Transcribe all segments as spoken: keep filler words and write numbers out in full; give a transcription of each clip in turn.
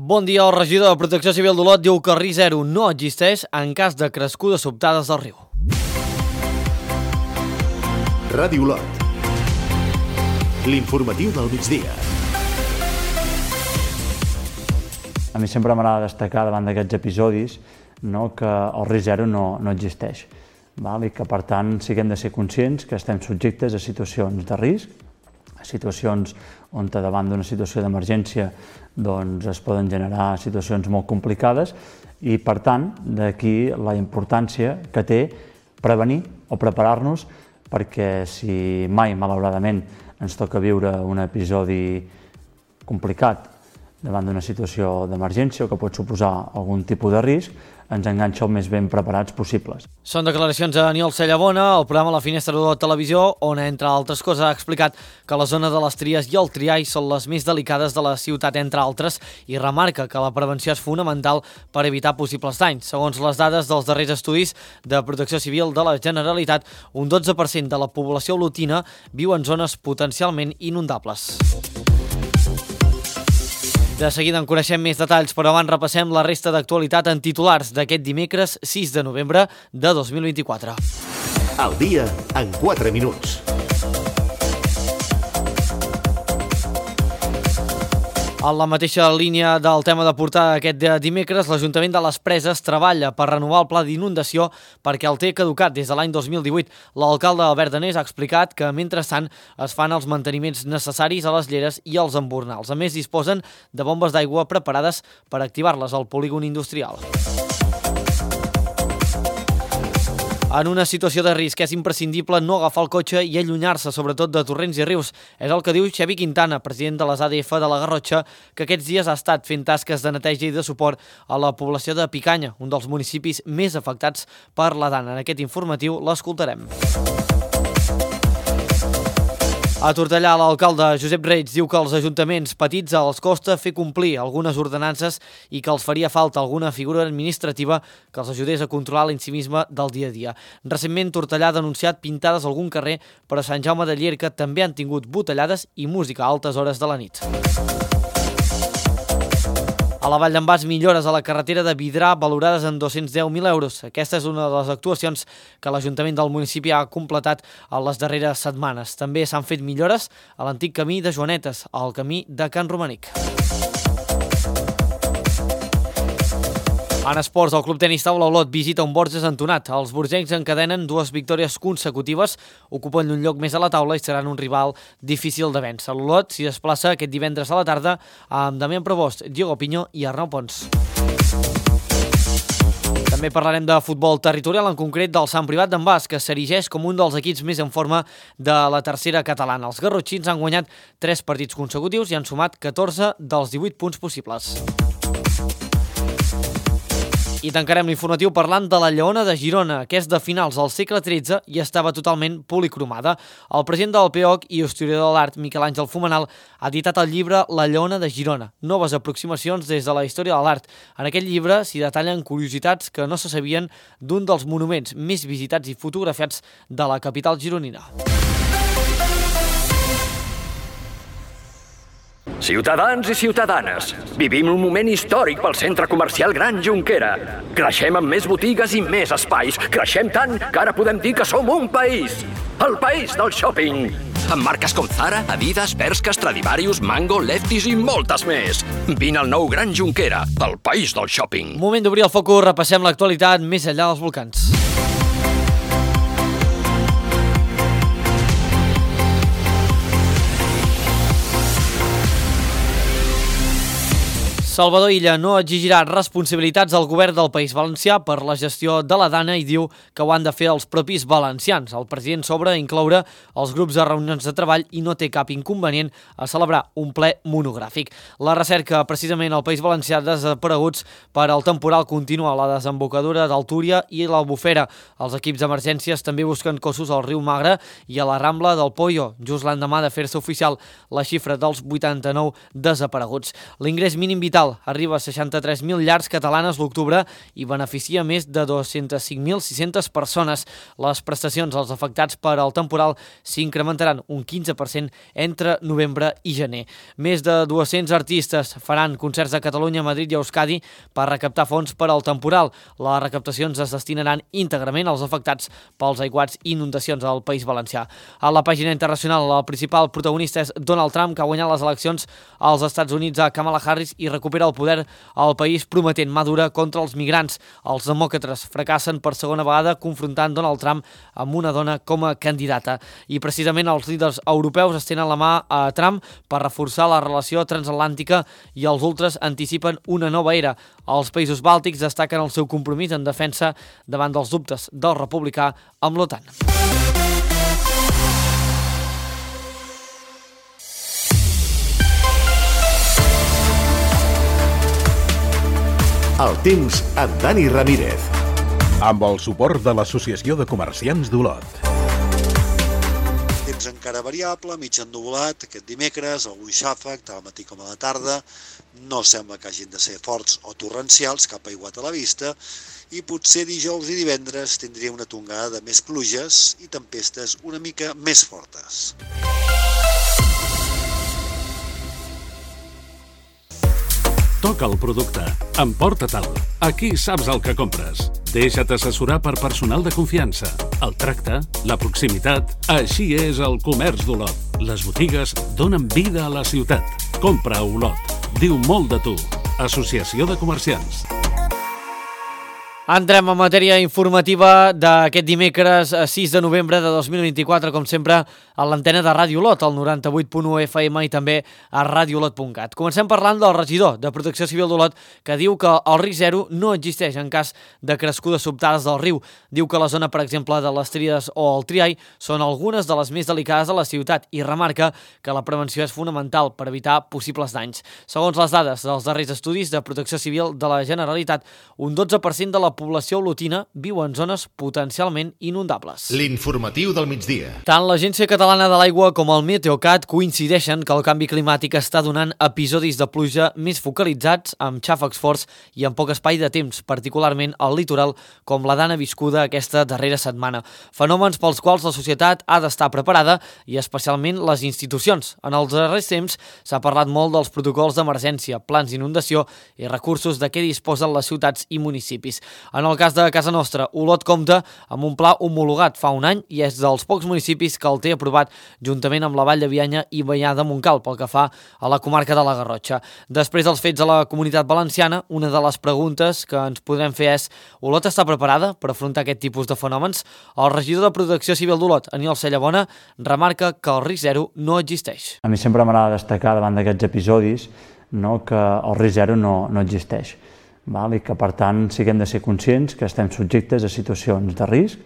Bon dia, el regidor de Protecció Civil d'Olot diu que el risc zero no existeix en cas de crescudes sobtades del riu. Ràdio Olot. L'informatiu del migdia. A mi sempre m'agrada destacar davant d'aquests episodis no, que el risc zero no, no existeix. Val? I que, per tant, siguem de ser conscients que estem subjectes a situacions de risc, a situacions on davant d'una situació d'emergència doncs, es poden generar situacions molt complicades i, per tant, d'aquí la importància que té prevenir o preparar-nos perquè si mai, malauradament, ens toca viure un episodi complicat davant d'una situació d'emergència o que pot suposar algun tipus de risc, ens enganxa el més ben preparats possibles. Són declaracions de Aniol Cellabona al programa La Finestra de Televisió, on, entre altres coses, ha explicat que la zona de les Tries i el Triall són les més delicades de la ciutat, entre altres, i remarca que la prevenció és fonamental per evitar possibles danys. Segons les dades dels darrers estudis de Protecció Civil de la Generalitat, un dotze per cent de la població olotina viu en zones potencialment inundables. De seguida en coneixem més detalls, però abans repassem la resta d'actualitat en titulars d'aquest dimecres sis de novembre de dos mil vint-i-quatre. El dia en quatre minuts. En la mateixa línia del tema de portar aquest dimecres, l'Ajuntament de les Preses treballa per renovar el pla d'inundació perquè el té caducat des de l'any dos mil divuit. L'alcalde Albert Danés ha explicat que, mentrestant, es fan els manteniments necessaris a les lleres i als embornals. A més, disposen de bombes d'aigua preparades per activar-les al polígon industrial. En una situació de risc és imprescindible no agafar el cotxe i allunyar-se, sobretot de torrents i rius. És el que diu Xavi Quintana, president de les A D F de la Garrotxa, que aquests dies ha estat fent tasques de neteja i de suport a la població de Picanya, un dels municipis més afectats per la Dana. En aquest informatiu l'escoltarem. A Tortellà, l'alcalde Josep Reig diu que als ajuntaments petits els costa fer complir algunes ordenances i que els faria falta alguna figura administrativa que els ajudés a controlar l'incivisme del dia a dia. Recentment, Tortellà ha denunciat pintades a algun carrer, però a Sant Jaume de Llierca també han tingut botellades i música a altes hores de la nit. A la Vall d'en Bas, millores a la carretera de Vidrà valorades en dos-cents deu mil euros. Aquesta és una de les actuacions que l'Ajuntament del municipi ha completat en les darreres setmanes. També s'han fet millores a l'antic camí de Joanetes, al camí de Can Romanic. En esports, el Club Tenis Taula Olot visita un Borges entonat. Els borgencs encadenen dues victòries consecutives, ocupen un lloc més a la taula i seran un rival difícil de vèncer. L'Olot s'hi desplaça aquest divendres a la tarda amb Damián Provost, Diego Piño i Arnau Pons. També parlarem de futbol territorial, en concret del Sant Privat d'en Bas, que s'erigeix com un dels equips més en forma de la tercera catalana. Els garrotxins han guanyat tres partits consecutius i han sumat catorze dels divuit punts possibles. I tancarem l'informatiu parlant de la Lleona de Girona, que és de finals del segle tretze i estava totalment policromada. El president del P O C i historiador de l'art, Miquel Àngel Fumenal, ha editat el llibre La Lleona de Girona, noves aproximacions des de la història de l'art. En aquest llibre s'hi detallen curiositats que no se sabien d'un dels monuments més visitats i fotografiats de la capital gironina. Ciutadans i ciutadanes, vivim un moment històric pel centre comercial Gran Jonquera. Creixem amb més botigues i més espais. Creixem tant que ara podem dir que som un país. El país del shopping. Amb marques com Zara, Adidas, Bershka, Stradivarius, Mango, Lefties i moltes més. Vine al nou Gran Jonquera, el país del shopping. Moment d'obrir el focus, repassem l'actualitat més enllà dels volcans. Salvador Illa no exigirà responsabilitats al govern del País Valencià per la gestió de la Dana i diu que ho han de fer els propis valencians. El president s'obre a incloure els grups de reunions de treball i no té cap inconvenient a celebrar un ple monogràfic. La recerca precisament al País Valencià desapareguts per al temporal continua a la desembocadura del Túria i l'Albufera. Els equips d'emergències també busquen cossos al riu Magre i a la Rambla del Pollo, just l'endemà de fer-se oficial la xifra dels vuitanta-nou desapareguts. L'ingrés mínim vital social arriba a seixanta-tres mil llars catalanes l'octubre i beneficia més de dos-cents cinc mil sis-centes persones. Les prestacions als afectats per al temporal s'incrementaran un quinze per cent entre novembre i gener. Més de dos-cents artistes faran concerts a Catalunya, Madrid i Euskadi per recaptar fons per al temporal. Les recaptacions es destinaran íntegrament als afectats pels aiguats i inundacions al País Valencià. A la pàgina internacional, el principal protagonista és Donald Trump, que ha guanyat les eleccions als Estats Units a Kamala Harris i recupera el poder al país prometent mà dura contra els migrants. Els demòcrates fracassen per segona vegada confrontant Donald Trump amb una dona com a candidata. I precisament els líders europeus estenen la mà a Trump per reforçar la relació transatlàntica i els ultres anticipen una nova era. Els països bàltics destaquen el seu compromís en defensa davant dels dubtes del republicà amb l'OTAN. El temps amb Dani Ramírez. Amb el suport de l'Associació de Comerciants d'Olot. Temps encara variable, mig ennuvolat, aquest dimecres, algun xàfec, tant al matí com a la tarda. No sembla que hagin de ser forts o torrencials, cap aiguat a la vista, i potser dijous i divendres tindria una tongada de més pluges i tempestes una mica més fortes. Toca el producte. Emporta-te'l. Aquí saps el que compres. Deixa't assessorar per personal de confiança. El tracte, la proximitat... Així és el comerç d'Olot. Les botigues donen vida a la ciutat. Compra a Olot. Diu molt de tu. Associació de Comerciants. Entrem en matèria informativa d'aquest dimecres sis de novembre de dos mil vint-i-quatre, com sempre, a l'antena de Ràdio Olot, al noranta-vuit punt u F M i també a radiolot punt cat. Comencem parlant del regidor de Protecció Civil d'Olot, que diu que el risc zero no existeix en cas de crescudes sobtades del riu. Diu que la zona, per exemple, de les Tríades o el Triai són algunes de les més delicades de la ciutat i remarca que la prevenció és fonamental per evitar possibles danys. Segons les dades dels darrers estudis de Protecció Civil de la Generalitat, un dotze per cent de la població olotina viu en zones potencialment inundables. L'informatiu del migdia. Tant l'Agència Catalana de l'Aigua com el Meteocat coincideixen que el canvi climàtic està donant episodis de pluja més focalitzats, amb xàfecs forts i amb poc espai de temps, particularment al litoral, com la dana viscuda aquesta darrera setmana. Fenòmens pels quals la societat ha d'estar preparada i especialment les institucions. En els darrers temps s'ha parlat molt dels protocols d'emergència, plans d'inundació i recursos de què disposen les ciutats i municipis. En el cas de casa nostra, Olot compta amb un pla homologat fa un any i és dels pocs municipis que el té aprovat juntament amb la Vall de Bianya i Banyà de Montcal pel que fa a la comarca de la Garrotxa. Després dels fets a la Comunitat Valenciana, una de les preguntes que ens podrem fer és: Olot està preparada per afrontar aquest tipus de fenòmens? El regidor de Protecció Civil d'Olot, Aniol Cellabona, remarca que el risc zero no existeix. A mi sempre m'agrada destacar davant d'aquests episodis, no, que el risc zero no, no existeix. Val? I que, per tant, sí que hem de ser conscients que estem subjectes a situacions de risc,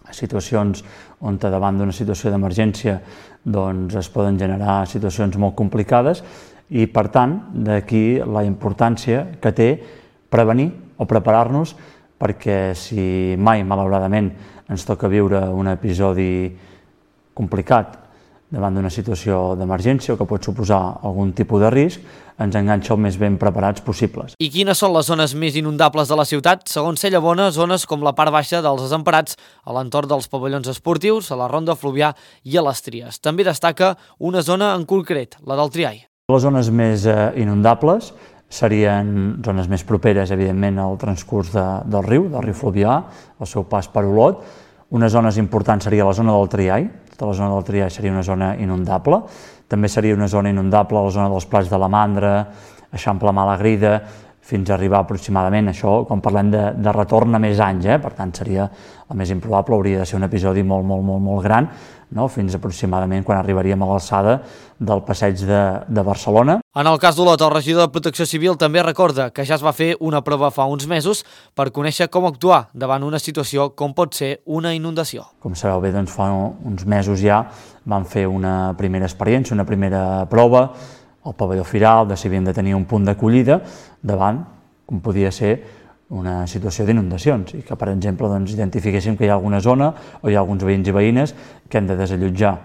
a situacions on davant d'una situació d'emergència doncs, es poden generar situacions molt complicades i, per tant, d'aquí la importància que té prevenir o preparar-nos perquè si mai, malauradament, ens toca viure un episodi complicat davant d'una situació d'emergència o que pot suposar algun tipus de risc, ens enganxa el més ben preparats possibles. I quines són les zones més inundables de la ciutat? Segons Cellabona, zones com la part baixa dels Desemparats, a l'entorn dels pavellons esportius, a la Ronda Fluvià i a les Tries. També destaca una zona en concret, la del Triai. Les zones més eh, inundables serien zones més properes, evidentment, al transcurs de, del riu, del riu Fluvià, el seu pas per Olot. Una zona important seria la zona del Triai. Tota la zona del Triai seria una zona inundable. També seria una zona inundable a la zona dels Plats de la Mandra, Eixample Malagrida, fins a arribar aproximadament, això quan parlem de, de retorn a més anys, eh? Per tant seria el més improbable, hauria de ser un episodi molt, molt, molt, molt gran, no? Fins aproximadament quan arribaríem a l'alçada del passeig de, de Barcelona. En el cas d'Olot, el regidor de Protecció Civil també recorda que ja es va fer una prova fa uns mesos per conèixer com actuar davant una situació com pot ser una inundació. Com sabeu bé, doncs fa uns mesos ja vam fer una primera experiència, una primera prova, al pavelló Firal, de si havíem de tenir un punt d'acollida davant, com podia ser una situació d'inundacions, i que, per exemple, doncs, identifiquéssim que hi ha alguna zona o hi ha alguns veïns i veïnes que hem de desallotjar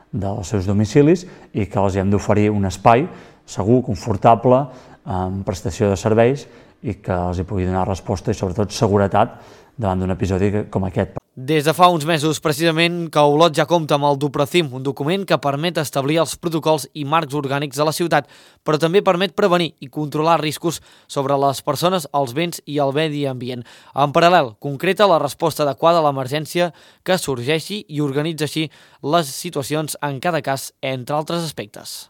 dels seus domicilis i que els hem d'oferir un espai segur, confortable, en prestació de serveis i que els hi pugui donar resposta i sobretot seguretat davant d'un episodi com aquest. Des de fa uns mesos, precisament, que Olot ja compta amb el Duprocim, un document que permet establir els protocols i marcs orgànics de la ciutat, però també permet prevenir i controlar riscos sobre les persones, els béns i el medi ambient. En paral·lel, concreta la resposta adequada a l'emergència que sorgeixi i organitza així les situacions en cada cas, entre altres aspectes.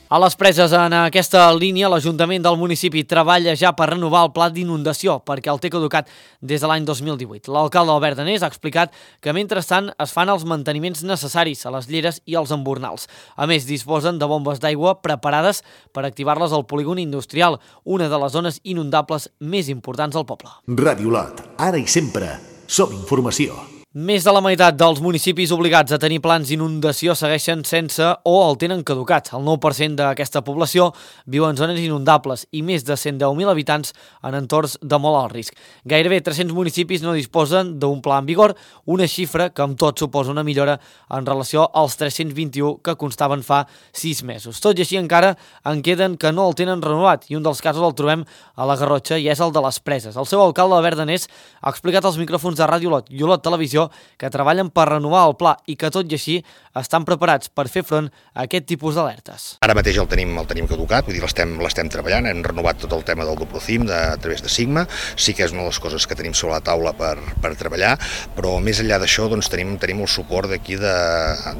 A les Preses, en aquesta línia, l'Ajuntament del municipi treballa ja per renovar el pla d'inundació, perquè el té caducat des de l'any dos mil divuit. L'alcalde Albert Danés ha explicat que, mentrestant, es fan els manteniments necessaris a les lleres i als embornals. A més, disposen de bombes d'aigua preparades per activar-les al polígon industrial, una de les zones inundables més importants del poble. Ràdio Olot, ara i sempre, som informació. Més de la meitat dels municipis obligats a tenir plans d'inundació segueixen sense o el tenen caducat. El nou per cent d'aquesta població viu en zones inundables i més de cent deu mil habitants en entorns de molt alt risc. Gairebé tres-cents municipis no disposen d'un pla en vigor, una xifra que amb tot suposa una millora en relació als tres-cents vint-i-u que constaven fa sis mesos. Tot i així encara en queden que no el tenen renovat i un dels casos el trobem a la Garrotxa i és el de les Preses. El seu alcalde, Albert Danés, ha explicat als micròfons de Ràdio Olot i Olot Televisió que treballen per renovar el pla i que tot i així estan preparats per fer front a aquest tipus d'alertes. Ara mateix el tenim, el tenim caducat, vull dir, l'estem l'estem treballant, hem renovat tot el tema del Duprocim de, a través de Sigma, sí que és una de les coses que tenim sobre la taula per, per treballar, però més enllà d'això doncs, tenim, tenim el suport d'aquí de,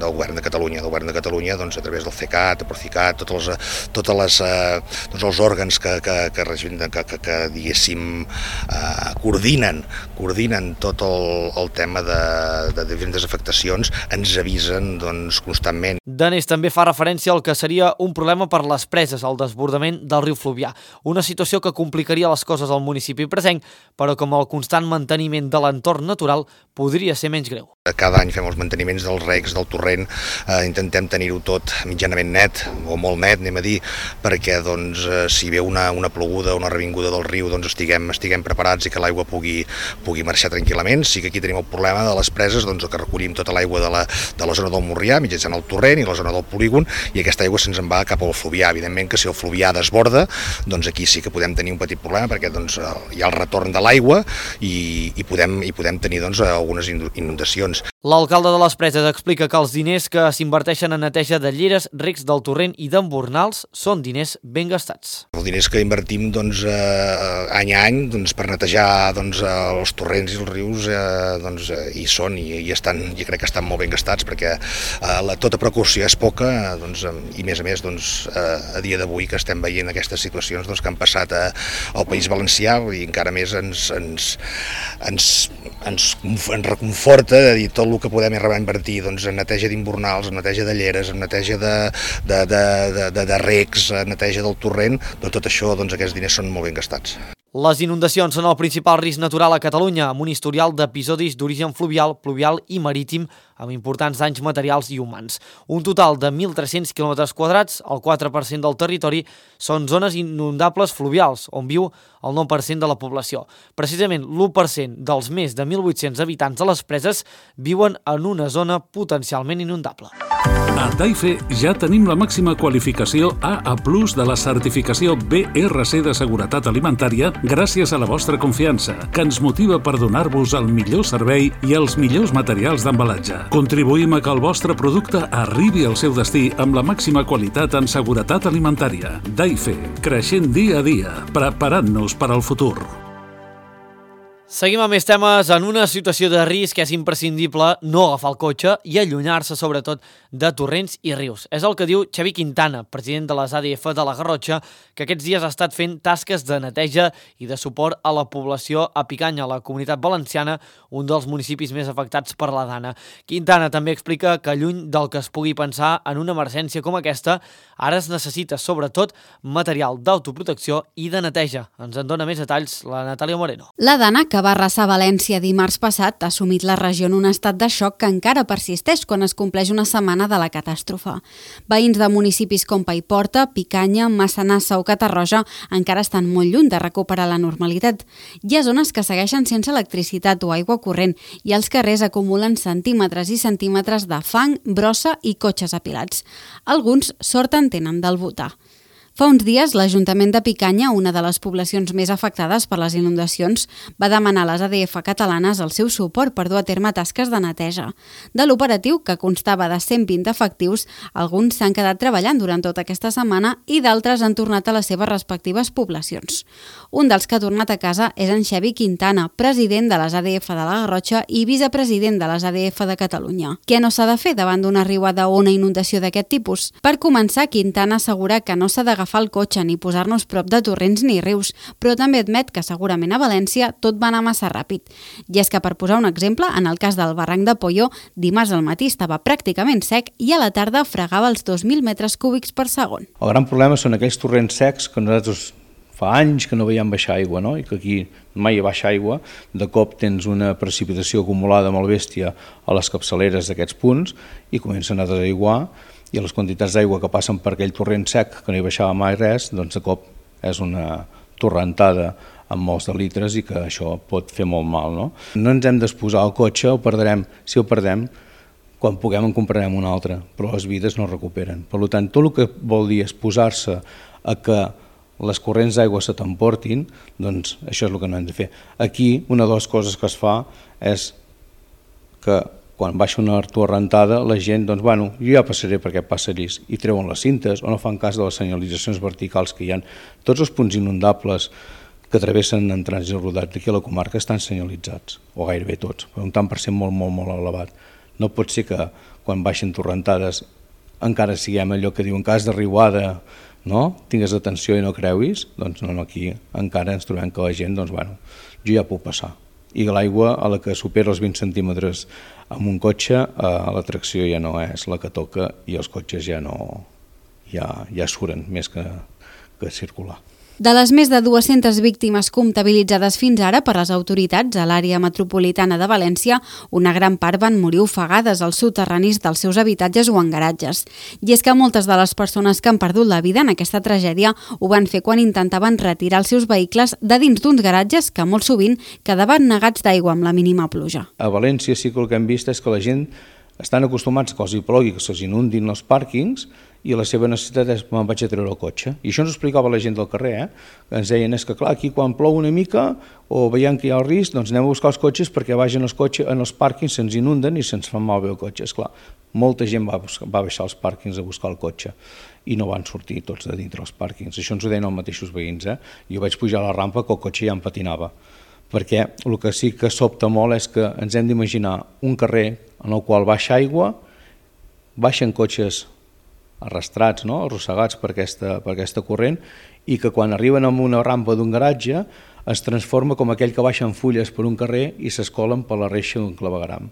del Govern de Catalunya, del Govern de Catalunya doncs, a través del CECAT, el Procicat, totes les, totes les, eh, tots els òrgans que, que, que, que, que, que diguéssim, eh, coordinen, coordinen tot el, el tema de de diferents afectacions, ens avisen doncs, constantment. Danés també fa referència al que seria un problema per les Preses, el desbordament del riu Fluvià. Una situació que complicaria les coses al municipi presenc, però com el constant manteniment de l'entorn natural podria ser menys greu. Cada any fem els manteniments dels recs, del torrent, eh, intentem tenir-ho tot mitjanament net, o molt net, anem a dir, perquè doncs, eh, si ve una, una ploguda o una revinguda del riu, doncs estiguem, estiguem preparats i que l'aigua pugui, pugui marxar tranquil·lament. Sí que aquí tenim el problema de les Preses, doncs, que recollim tota l'aigua de, la, de la zona del Morrià, mitjançant el torrent i la zona del polígon, i aquesta aigua se'ns en va cap al Fluvià. Evidentment que si el Fluvià desborda, doncs aquí sí que podem tenir un petit problema, perquè doncs, hi ha el retorn de l'aigua i, i, podem, i podem tenir doncs, algunes inundacions. L'alcalde de les Preses explica que els diners que s'inverteixen en neteja de lleres, recs del torrent i d'embornals són diners ben gastats. Els diners que invertim doncs, eh, any a any doncs, per netejar doncs, els torrents i els rius eh, doncs, eh, hi són i, i estan, jo crec que estan molt ben gastats perquè eh, la, tota precaució és poca doncs, i a més a més doncs, eh, a dia d'avui que estem veient aquestes situacions doncs, que han passat a, al País Valencià i encara més ens, ens, ens, ens, ens reconforta de dir tot el que podem arribar a invertir doncs, en neteja d'imbornals, en neteja de lleres, en neteja de, de, de, de, de, de recs, en neteja del torrent, doncs tot això, doncs, aquests diners són molt ben gastats. Les inundacions són el principal risc natural a Catalunya, amb un historial d'episodis d'origen fluvial, pluvial i marítim, amb importants danys materials i humans. Un total de mil tres-cents quilòmetres quadrats, el quatre per cent del territori, són zones inundables fluvials, on viu el nou per cent de la població. Precisament l'u per cent dels més de mil vuit-cents habitants de les Preses viuen en una zona potencialment inundable. A Daife ja tenim la màxima qualificació A A plus de la certificació B R C de seguretat alimentària gràcies a la vostra confiança, que ens motiva per donar-vos el millor servei i els millors materials d'embalatge. Contribuïm a que el vostre producte arribi al seu destí amb la màxima qualitat en seguretat alimentària. Daife, creixent dia a dia, preparant-nos per al futur. Seguim amb més temes. En una situació de risc és imprescindible no agafar el cotxe i allunyar-se sobretot de torrents i rius. És el que diu Xavi Quintana, president de les A D F de la Garrotxa, que aquests dies ha estat fent tasques de neteja i de suport a la població a Picanya, a la Comunitat Valenciana, un dels municipis més afectats per la Dana. Quintana també explica que lluny del que es pugui pensar en una emergència com aquesta, ara es necessita sobretot material d'autoprotecció i de neteja. Ens en dona més detalls la Natàlia Moreno. La Dana, que que va arrasar València dimarts passat ha sumit la regió en un estat de xoc que encara persisteix quan es compleix una setmana de la catàstrofe. Veïns de municipis com Paiporta, Picanya, Massanassa o Catarroja encara estan molt lluny de recuperar la normalitat. Hi ha zones que segueixen sense electricitat o aigua corrent i els carrers acumulen centímetres i centímetres de fang, brossa i cotxes apilats. Alguns sort en tenen del butà. Fa uns dies, l'Ajuntament de Picanya, una de les poblacions més afectades per les inundacions, va demanar a les A D F catalanes el seu suport per dur a terme tasques de neteja. De l'operatiu, que constava de cent vint efectius, alguns s'han quedat treballant durant tota aquesta setmana i d'altres han tornat a les seves respectives poblacions. Un dels que ha tornat a casa és en Xavi Quintana, president de les A D F de la Garrotxa i vicepresident de les A D F de Catalunya. Què no s'ha de fer davant d'una riuada o una inundació d'aquest tipus? Per començar, Quintana assegura que no s'ha d'agafar el cotxe ni posar-nos prop de torrents ni rius, però també admet que segurament a València tot va anar massa ràpid. I és que, per posar un exemple, en el cas del barranc de Polló, dimarts al matí estava pràcticament sec i a la tarda fregava els dos mil metres cúbics per segon. El gran problema són aquells torrents secs que nosaltres fa anys que no veiem baixar aigua, no? I que aquí mai hi baixa aigua, de cop tens una precipitació acumulada molt bèstia a les capçaleres d'aquests punts i comencen a desaiguar, i les quantitats d'aigua que passen per aquell torrent sec que no hi baixava mai res, doncs de cop és una torrentada amb molts de litres i que això pot fer molt mal. No, no ens hem d'exposar al cotxe, ho perdrem, si el perdem, quan puguem en comprarem un altre, però les vides no es recuperen. Per tant, tot el que vol dir exposar-se a que les corrents d'aigua se t'emportin, doncs això és el que no hem de fer. Aquí, una de les coses que es fa és que quan baixa una torrentada, la gent, doncs, bueno, jo ja passaré per aquest passadís i treuen les cintes o no fan cas de les senyalitzacions verticals que hi ha. Tots els punts inundables que travessen en trànsit rodat d'aquí a la comarca estan senyalitzats, o gairebé tots, per un tant per cent molt, molt, molt elevat. No pot ser que quan baixen torrentades encara siguem allò que diuen cas de riuada, no? Tingues atenció i no creuis, doncs no, no, aquí encara ens trobem que la gent, doncs, bueno, jo ja puc passar. I l'aigua a la que supera els vint centímetres amb un cotxe, la tracció ja no és la que toca i els cotxes ja no ja, ja suren més que, que circular. De les més de dues-centes víctimes comptabilitzades fins ara per les autoritats a l'àrea metropolitana de València, una gran part van morir ofegades als soterranis dels seus habitatges o en garatges. I és que moltes de les persones que han perdut la vida en aquesta tragèdia ho van fer quan intentaven retirar els seus vehicles de dins d'uns garatges que molt sovint quedaven negats d'aigua amb la mínima pluja. A València sí que el que hem vist és que la gent estan acostumats que els hi plogui, que se'ls inundin els pàrquings, i la seva necessitat és me'n vaig a treure el cotxe. I això ens ho explicava la gent del carrer, eh? Que ens deien és que clar, aquí quan plou una mica o veiem que hi ha el risc, doncs anem a buscar els cotxes perquè vagin els cotxes en els pàrquings, se'ns inunden i se'ns fan malbé el cotxe. Esclar, molta gent va, buscar, va baixar als pàrquings a buscar el cotxe i no van sortir tots de dintre els pàrquings. Això ens ho deien els mateixos veïns, eh? Jo vaig pujar a la rampa que el cotxe ja em patinava, perquè el que sí que sobta molt és que ens hem d'imaginar un carrer en el qual baixa aigua, baixen cotxes arrastrats, no? Arrossegats per aquesta, per aquesta corrent, i que quan arriben a una rampa d'un garatge es transforma com aquell que baixen fulles per un carrer i s'escolen per la reixa d'un clavegueram,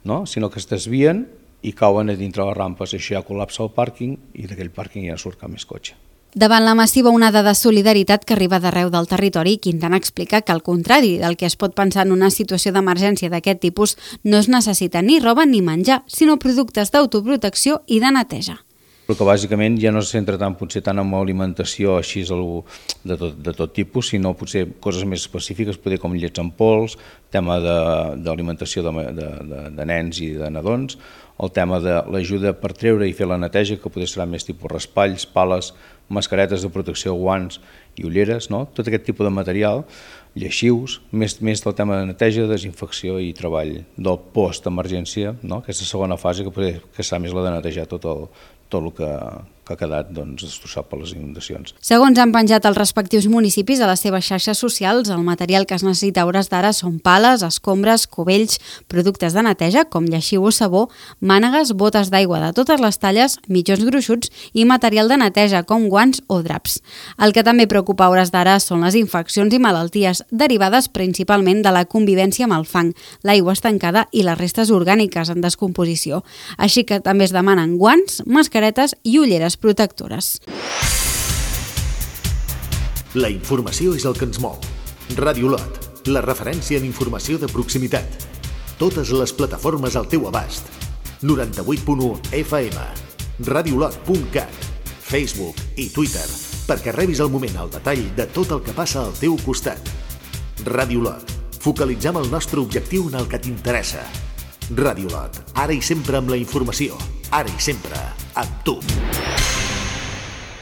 no? Sinó que es desvien i cauen a dintre les rampes, això ja col·lapsa el pàrquing i d'aquell pàrquing ja surt cap més cotxe. Davant la massiva onada de solidaritat que arriba d'arreu del territori, Quintana explica que, al contrari del que es pot pensar en una situació d'emergència d'aquest tipus, no es necessita ni roba ni menjar, sinó productes d'autoprotecció i de neteja. Però que bàsicament ja no se centra tant, potser tant en alimentació així de tot, de tot tipus, sinó potser coses més específiques, potser com llets en pols, tema d'alimentació de, de, de, de nens i de nadons, el tema de l'ajuda per treure i fer la neteja, que potser serà més tipus raspalls, pales, mascaretes de protecció, guants i ulleres, no? Tot aquest tipus de material, lleixius, més, més del tema de neteja, desinfecció i treball del post-emergència, no? Aquesta segona fase que, potser, que serà més la de netejar tot el, tot el que, que ha quedat doncs, destrossat per les inundacions. Segons han penjat els respectius municipis a les seves xarxes socials, el material que es necessita a hores d'ara són pales, escombres, cubells, productes de neteja com lleixiu o sabó, mànegues, botes d'aigua de totes les talles, mitjons gruixuts i material de neteja com guants o draps. El que també preocupa a hores d'ara són les infeccions i malalties derivades principalment de la convivència amb el fang, l'aigua estancada i les restes orgàniques en descomposició. Així que també es demanen guants, mascaretes i ulleres protectores. La informació és el que ens mou. Ràdio Lot, la referència en informació de proximitat. Totes les plataformes al teu abast. noranta-vuit punt u F M, radiolot punt cat, Facebook i Twitter, perquè rebis al moment el detall de tot el que passa al teu costat. Radiolot. Focalitzem el nostre objectiu en el que t'interessa. Radiolot. Ara i sempre amb la informació. Ara i sempre amb tu.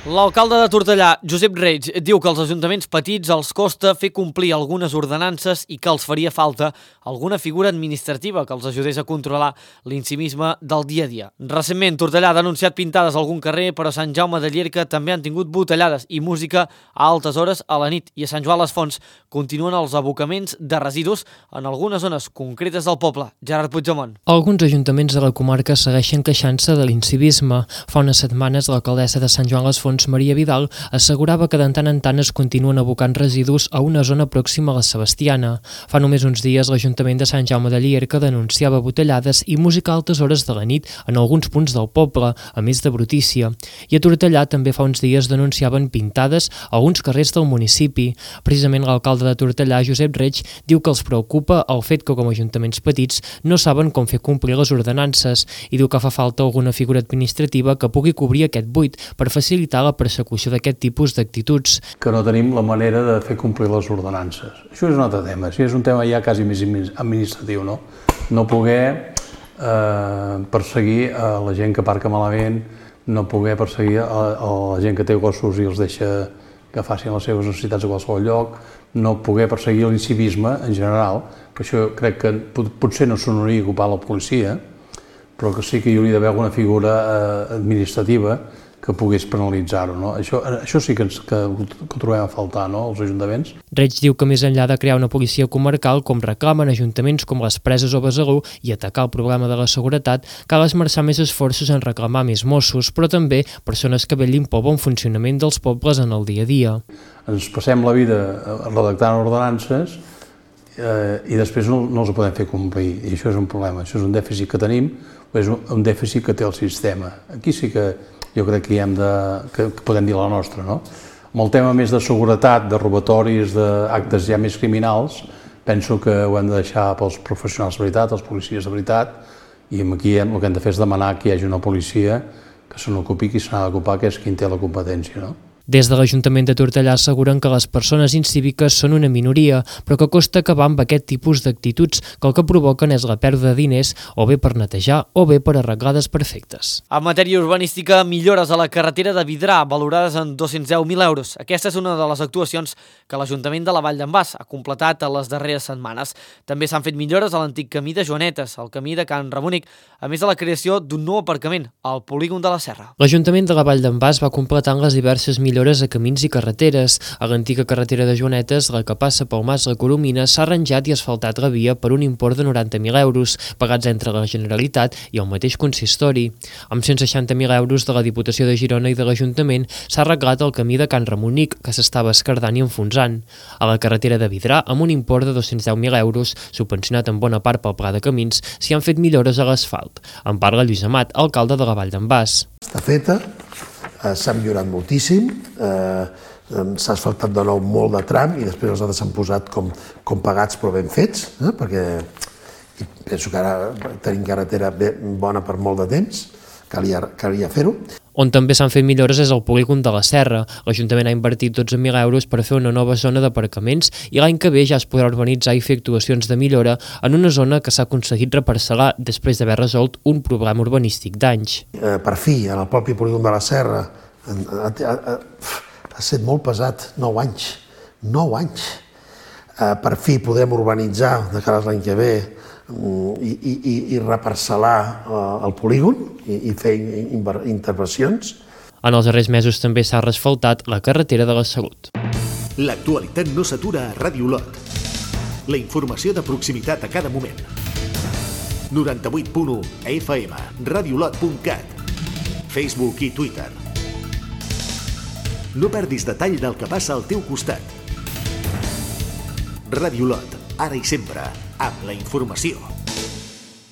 L'alcalde de Tortellà, Josep Reig, diu que als ajuntaments petits els costa fer complir algunes ordenances i que els faria falta alguna figura administrativa que els ajudés a controlar l'incivisme del dia a dia. Recentment, Tortellà ha denunciat pintades a algun carrer, però a Sant Jaume de Llierca també han tingut botellades i música a altes hores a la nit. I a Sant Joan les Fonts continuen els abocaments de residus en algunes zones concretes del poble. Gerard Puigdemont. Alguns ajuntaments de la comarca segueixen queixant-se de l'incivisme. Fa unes setmanes, l'alcaldessa de Sant Joan les Fonts, Maria Vidal, assegurava que de tant en tant es continuen abocant residus a una zona pròxima a la Sebastiana. Fa només uns dies, l'Ajuntament de Sant Jaume de Llierca denunciava botellades i música a altes hores de la nit en alguns punts del poble, a més de brutícia. I a Tortellà també fa uns dies denunciaven pintades a alguns carrers del municipi. Precisament l'alcalde de Tortellà, Josep Reig, diu que els preocupa el fet que com a ajuntaments petits no saben com fer complir les ordenances i diu que fa falta alguna figura administrativa que pugui cobrir aquest buit per facilitar la persecució d'aquest tipus d'actituds. Que no tenim la manera de fer complir les ordenances. Això és un altre tema, això és un tema ja quasi més administratiu, no? No poder eh, perseguir a la gent que aparca malament, no poder perseguir a, a la gent que té gossos i els deixa que facin les seves necessitats a qualsevol lloc, no poder perseguir l'incivisme en general, que això crec que potser no s'hauria d'ocupar la policia, però que sí que hi hauria d'haver alguna figura eh, administrativa que pogués penalitzar-ho, no? Això, això sí que, ens, que, que ho trobem a faltar, no?, als ajuntaments. Reig diu que més enllà de crear una policia comarcal, com reclamen ajuntaments com les Preses o Besalú, i atacar el problema de la seguretat, cal esmerçar més esforços en reclamar més Mossos, però també persones que vetllin pel bon funcionament dels pobles en el dia a dia. Ens passem la vida redactant ordenances eh, i després no, no els podem fer complir, i això és un problema, això és un dèficit que tenim, és un, un dèficit que té el sistema. Aquí sí que jo crec que, hi hem de, que, que podem dir la nostra, no? Amb el tema més de seguretat, de robatoris, d'actes ja més criminals, penso que ho hem de deixar pels professionals de veritat, els policies de veritat, i aquí el que hem de fer és demanar que hi hagi una policia que se n'ocupi qui se n'ha d'ocupar, que és qui en té la competència, no? Des de l'Ajuntament de Tortellà asseguren que les persones incíviques són una minoria, però que costa acabar amb aquest tipus d'actituds, que el que provoquen és la pèrdua de diners, o bé per netejar o bé per arreglar desperfectes. En matèria urbanística, millores a la carretera de Vidrà, valorades en dos-cents deu mil euros. Aquesta és una de les actuacions que l'Ajuntament de la Vall d'en Bas ha completat a les darreres setmanes. També s'han fet millores a l'antic camí de Joanetes, el camí de Can Ramonic, a més de la creació d'un nou aparcament, al polígon de la Serra. L'Ajuntament de la Vall d'en Bas va completant les diverses millores a camins i carreteres. A l'antiga carretera de Joanetes, la que passa pel Mas La Coromina, s'ha arranjat i asfaltat la via per un import de noranta mil euros, pagats entre la Generalitat i el mateix consistori. Amb cent seixanta mil euros de la Diputació de Girona i de l'Ajuntament s'ha arreglat el camí de Can Ramonic, que s'estava esquerdant i enfonsant. A la carretera de Vidrà, amb un import de dos-cents deu mil euros, subvencionat en bona part pel Pla de Camins, s'hi han fet millores a l'asfalt. En parla Lluís Amat, alcalde de la Vall d'en Bas. Està feta, s'ha millorat moltíssim, eh, s'ha asfaltat de nou molt de tram i després els altres s'han posat com, com pagats però ben fets, eh, perquè penso que ara tenim carretera bona per molt de temps, calia, calia fer-ho. On també s'han fet millores és el polígon de la Serra. L'Ajuntament ha invertit dotze mil euros per fer una nova zona d'aparcaments i l'any que ve ja es podrà urbanitzar i fer actuacions de millora en una zona que s'ha aconseguit reparcel·lar després d'haver resolt un problema urbanístic d'anys. Eh, per fi, en el propi polígon de la Serra, ha, ha, ha, ha estat molt pesat, nou anys, nou anys. Eh, per fi podrem urbanitzar de cara a l'any que ve i, i, i reparcel·lar el polígon i, i fer intervencions. En els darrers mesos també s'ha reasfaltat la carretera de la Salut. L'actualitat no s'atura a Ràdio Lot. La informació de proximitat a cada moment. noranta-vuit punt u F M, radiolot punt cat, Facebook i Twitter. No perdis detall del que passa al teu costat. Ràdio Lot, ara i sempre, amb la informació.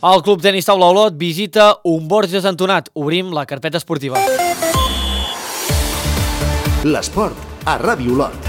El Club Tenis Taula Olot visita un Borges entonat. Obrim la carpeta esportiva. L'esport a Ràdio Lot.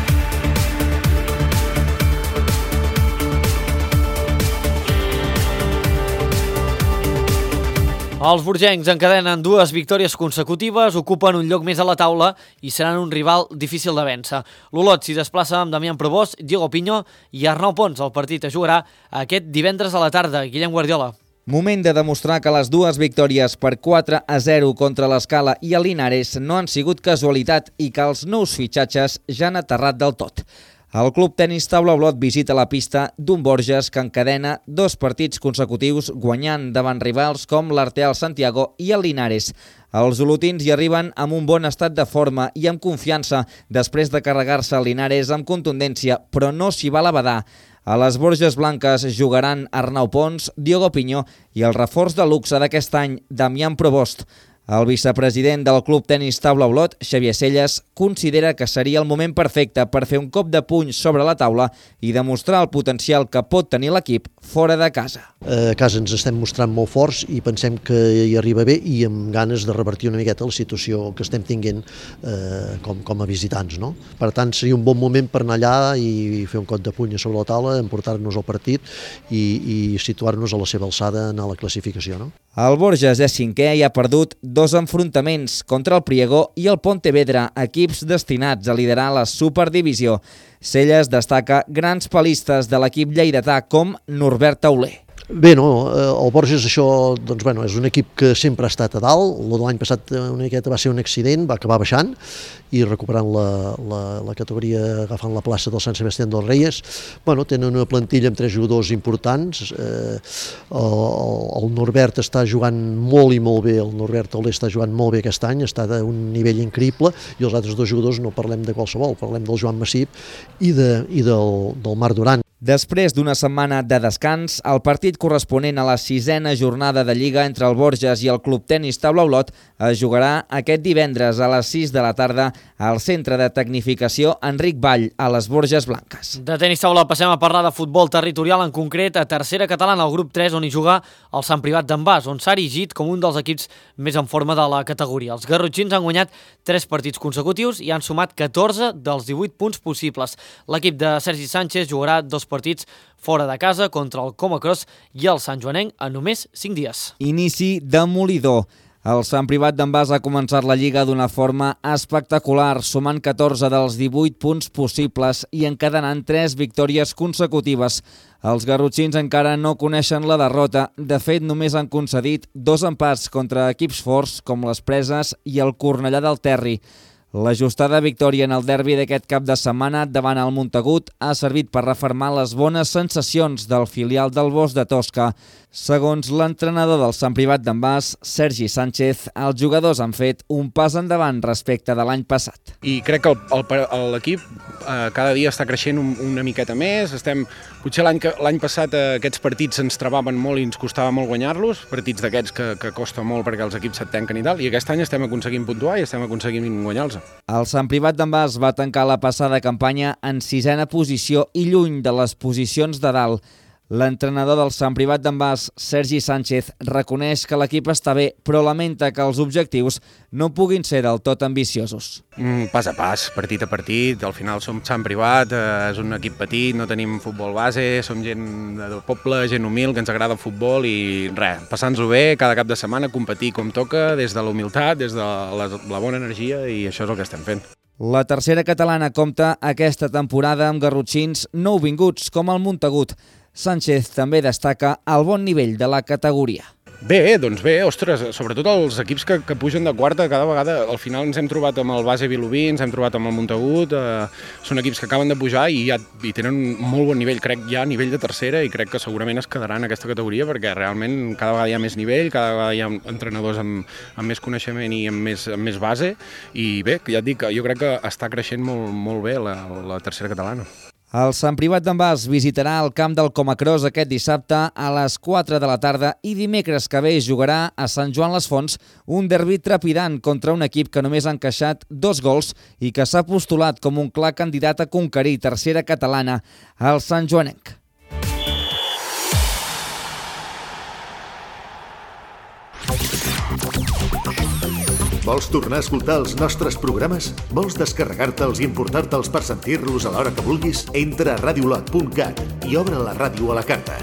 Els borgencs encadenen dues victòries consecutives, ocupen un lloc més a la taula i seran un rival difícil de vèncer. L'Olot s'hi desplaça amb Damián Provost, Diego Piño i Arnau Pons. El partit es jugarà aquest divendres a la tarda. Guillem Guardiola. Moment de demostrar que les dues victòries per quatre a zero contra l'Escala i el Linares no han sigut casualitat i que els nous fitxatges ja han aterrat del tot. El Club Tenis Taula Olot visita la pista d'un Borges que encadena dos partits consecutius guanyant davant rivals com l'Arteal Santiago i el Linares. Els olotins hi arriben amb un bon estat de forma i amb confiança després de carregar-se el Linares amb contundència, però no s'hi val a badar. A les Borges Blanques jugaran Arnau Pons, Diego Piño i el reforç de luxe d'aquest any, Damián Provost. El vicepresident del Club Tenis Taula Olot, Xavier Selles, considera que seria el moment perfecte per fer un cop de puny sobre la taula i demostrar el potencial que pot tenir l'equip fora de casa. A casa ens estem mostrant molt forts i pensem que hi arriba bé i amb ganes de revertir una miqueta la situació que estem tinguent eh, com, com a visitants. No? Per tant, seria un bon moment per anar allà i fer un cop de puny sobre la taula, emportar-nos al partit i, i situar-nos a la seva alçada en la classificació. No? El Borges és cinquè i ha perdut dos enfrontaments contra el Priego i el Pontevedra, equips destinats a liderar la Superdivisió. Selles destaca grans palistes de l'equip lleidatà com Norbert Tauler. Bé, no, el Borges això, doncs, bueno, és un equip que sempre ha estat a dalt. L'any passat una miqueta va ser un accident, va acabar baixant i recuperant la, la, la categoria, agafant la plaça del Sant Sebastián dels Reyes. Bueno, tenen una plantilla amb tres jugadors importants. Eh, el, el Norbert està jugant molt i molt bé, el Norbert Tauler està jugant molt bé aquest any, està d'un nivell increïble, i els altres dos jugadors no parlem de qualsevol, parlem del Joan Massip i, de, i del, del Marc Duran. Després d'una setmana de descans, el partit corresponent a la sisena jornada de Lliga entre el Borges i el Club Tenis Taula Olot es jugarà aquest divendres a les sis de la tarda al Centre de Tecnificació Enric Vall, a les Borges Blanques. De tenis taula passem a parlar de futbol territorial, en concret a tercera catalana, al grup tres, on hi juga el Sant Privat d'en Bas, on s'ha erigit com un dels equips més en forma de la categoria. Els garrotxins han guanyat tres partits consecutius i han sumat catorze dels divuit punts possibles. L'equip de Sergi Sánchez jugarà dos partits fora de casa contra el Comacros i el Sant Joanenc en només cinc dies. Inici demolidor. El Sant Privat d'en Bas ha començat la Lliga d'una forma espectacular, sumant catorze dels divuit punts possibles i encadenant tres victòries consecutives. Els garrotxins encara no coneixen la derrota. De fet, només han concedit dos empats contra equips forts com les Preses i el Cornellà del Terri. L'ajustada victòria en el derbi d'aquest cap de setmana davant el Montagut ha servit per refermar les bones sensacions del filial del Bosc de Tosca. Segons l'entrenador del Sant Privat d'en Bas, Sergi Sánchez, els jugadors han fet un pas endavant respecte de l'any passat. I crec que l'equip eh, cada dia està creixent un, una miqueta més. Estem, potser l'any passat eh, aquests partits ens trebaven molt i ens costava molt guanyar-los, partits d'aquests que, que costa molt perquè els equips se't tanquen i tal, i aquest any estem aconseguint puntuar i estem aconseguint guanyar-los. El Sant Privat d'en Bas va tancar la passada campanya en sisena posició i lluny de les posicions de dalt. L'entrenador del Sant Privat d'en Bas, Sergi Sánchez, reconeix que l'equip està bé, però lamenta que els objectius no puguin ser del tot ambiciosos. Mm, pas a pas, partit a partit, al final som Sant Privat, eh, és un equip petit, no tenim futbol base, som gent del poble, gent humil, que ens agrada el futbol i res, passant-nos-ho bé, cada cap de setmana competir com toca, des de la humilitat, des de la, la bona energia, i això és el que estem fent. La tercera catalana compta aquesta temporada amb garrotxins nouvinguts com el Montagut. Sánchez també destaca el bon nivell de la categoria. Bé, doncs bé, ostres, sobretot els equips que, que pugen de quarta, cada vegada al final ens hem trobat amb el Base Vilobí, ens hem trobat amb el Montagut, eh, són equips que acaben de pujar i, ja, i tenen un molt bon nivell, crec ja a nivell de tercera, i crec que segurament es quedaran en aquesta categoria perquè realment cada vegada hi ha més nivell, cada vegada hi ha entrenadors amb, amb més coneixement i amb més, amb més base, i bé, ja et dic, jo crec que està creixent molt, molt bé la, la tercera catalana. El Sant Privat d'en Bas visitarà el camp del Comacros aquest dissabte a les quatre de la tarda i dimecres que ve jugarà a Sant Joan les Fonts un derbi trepidant contra un equip que només ha encaixat dos gols i que s'ha postulat com un clar candidat a conquerir tercera catalana, el Sant Joanenc. Vols tornar a escoltar els nostres programes? Vols descarregar-te'ls i importar-te'ls per sentir-los a l'hora que vulguis? Entra a radiolot punt cat i obre la ràdio a la carta.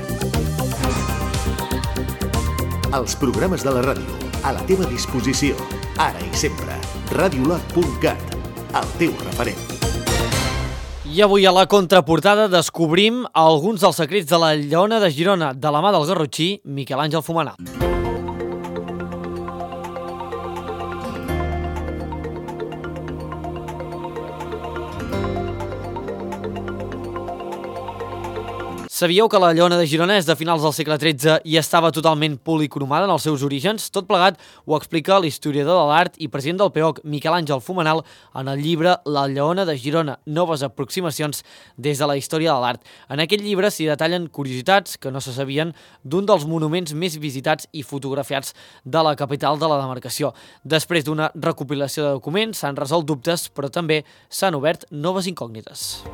Els programes de la ràdio, a la teva disposició, ara i sempre. radiolot punt cat, el teu referent. I avui a la contraportada descobrim alguns dels secrets de la Lleona de Girona de la mà del garrotxí Miquel Àngel Fumenal. Sabíeu que la Lleona de Girona és de finals del segle tretze i estava totalment policromada en els seus orígens? Tot plegat ho explica l'historiador de l'art i president del P E O C, Miquel Àngel Fumenal, en el llibre La Lleona de Girona, noves aproximacions des de la història de l'art. En aquest llibre s'hi detallen curiositats que no se sabien d'un dels monuments més visitats i fotografiats de la capital de la demarcació. Després d'una recopilació de documents s'han resolt dubtes, però també s'han obert noves incògnites.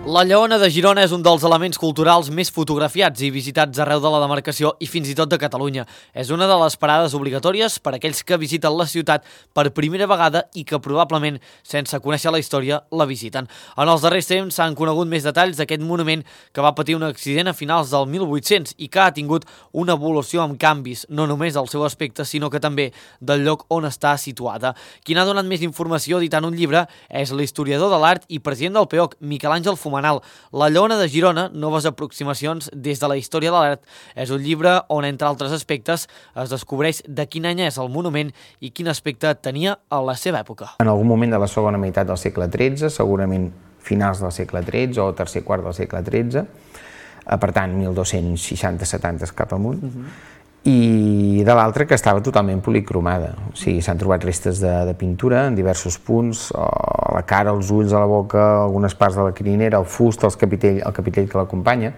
La Lleona de Girona és un dels elements culturals més fotografiats i visitats arreu de la demarcació i fins i tot de Catalunya. És una de les parades obligatòries per a aquells que visiten la ciutat per primera vegada i que probablement, sense conèixer la història, la visiten. En els darrers temps s'han conegut més detalls d'aquest monument que va patir un accident a finals del mil vuit-cents i que ha tingut una evolució amb canvis, no només del seu aspecte, sinó que també del lloc on està situada. Qui n'ha donat més informació editant un llibre és l'historiador de l'art i president del P E O C, Miquel Àngel Fumenal. La Lleona de Girona, noves aproximacions des de la història de l'art, és un llibre on, entre altres aspectes, es descobreix de quin any és el monument i quin aspecte tenia a la seva època. En algun moment de la segona meitat del segle tretze, segurament finals del segle tretze o tercer quart del segle tretze, per tant, mil dos-cents seixanta setanta cap amunt, uh-huh. I de l'altra que estava totalment policromada. O sigui, s'han trobat restes de, de pintura en diversos punts, a la cara, els ulls, a la boca, algunes parts de la crinera, el fust, el capitell, el capitell que l'acompanya.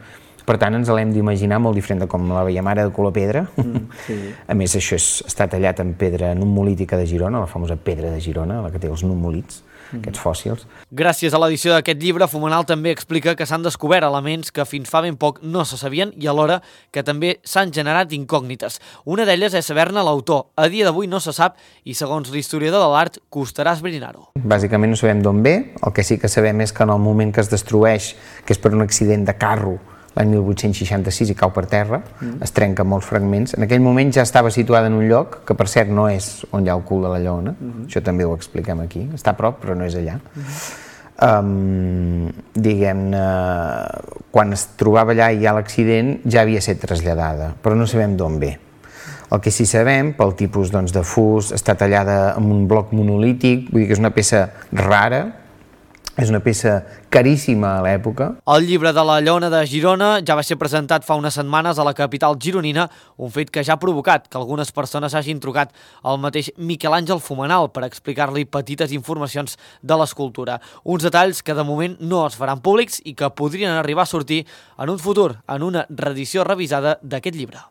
Per tant, ens l'hem d'imaginar molt diferent de com la veiem ara, de color pedra. Mm, sí. A més, això és, està tallat en pedra numolítica de Girona, la famosa pedra de Girona, la que té els numolits, mm. aquests fòssils. Gràcies a l'edició d'aquest llibre, Fumenal també explica que s'han descobert elements que fins fa ben poc no se sabien i alhora que també s'han generat incògnites. Una d'elles és saber-ne l'autor. A dia d'avui no se sap i, segons l'historiador de l'art, costarà esbrinar-ho. Bàsicament no sabem d'on ve, el que sí que sabem és que en el moment que es destrueix, que és per un accident de carro, l'any mil vuit-cents seixanta-sis i cau per terra, mm. es trenca molts fragments. En aquell moment ja estava situada en un lloc que, per cert, no és on hi ha el cul de la Lleona, mm-hmm. Això també ho expliquem aquí, està a prop però no és allà. Mm-hmm. um, diguem-ne, quan es trobava allà i hi ha l'accident ja havia estat traslladada, però no sabem d'on ve. El que sí sabem, pel tipus doncs, de fust, està tallada amb un bloc monolític, vull dir que és una peça rara, és una peça caríssima a l'època. El llibre de la Lleona de Girona ja va ser presentat fa unes setmanes a la capital gironina, un fet que ja ha provocat que algunes persones hagin trucat al mateix Miquel Àngel Fumenal per explicar-li petites informacions de l'escultura. Uns detalls que de moment no es faran públics i que podrien arribar a sortir en un futur, en una reedició revisada d'aquest llibre.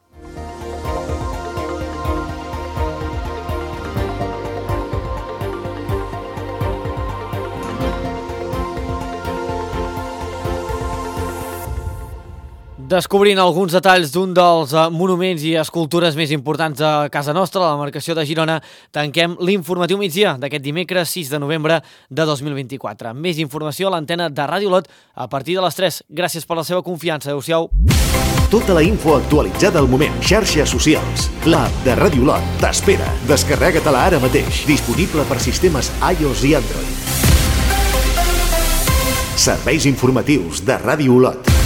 Descobrint alguns detalls d'un dels monuments i escultures més importants de casa nostra, la demarcació de Girona, tanquem l'informatiu migdia d'aquest dimecres sis de novembre de dos mil vint-i-quatre. Més informació a l'antena de Ràdio Lot a partir de les tres. Gràcies per la seva confiança. Adéu-siau. Tota la info actualitzada al moment. Xarxes socials. L'app de Ràdio Lot t'espera. Descarrega-te-la ara mateix. Disponible per sistemes iOS i Android. Serveis informatius de Ràdio Lot.